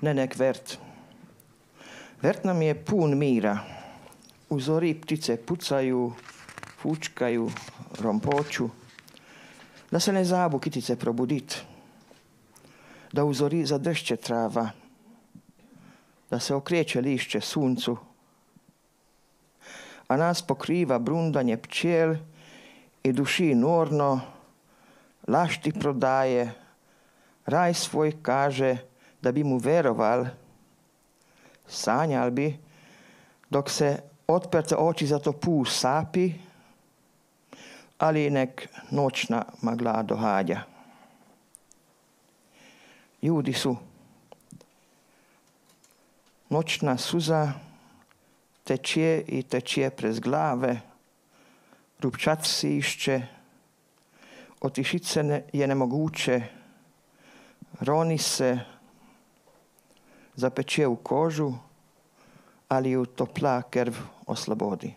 ne nek vert. Vert nam je pun mira. U zori ptice pucaju, fučkaju, rompoču. Da se ne zabu kitice probudit. Da u zori zadršće trava. Da se okreće lišće suncu. A nas pokriva brundanje pčel i duši norno, lašti prodaje, raj svoj kaže da bi mu veroval, sanjal bi, dok se otperte oči za to pú sapi, ali nek noćna magla dohađa. Ljudi su noćna suza, tečije i tečije prez glave, rupčat si išće, otišit se je nemoguće, roni se, zapeče u kožu, ali ju topla krv oslobodi.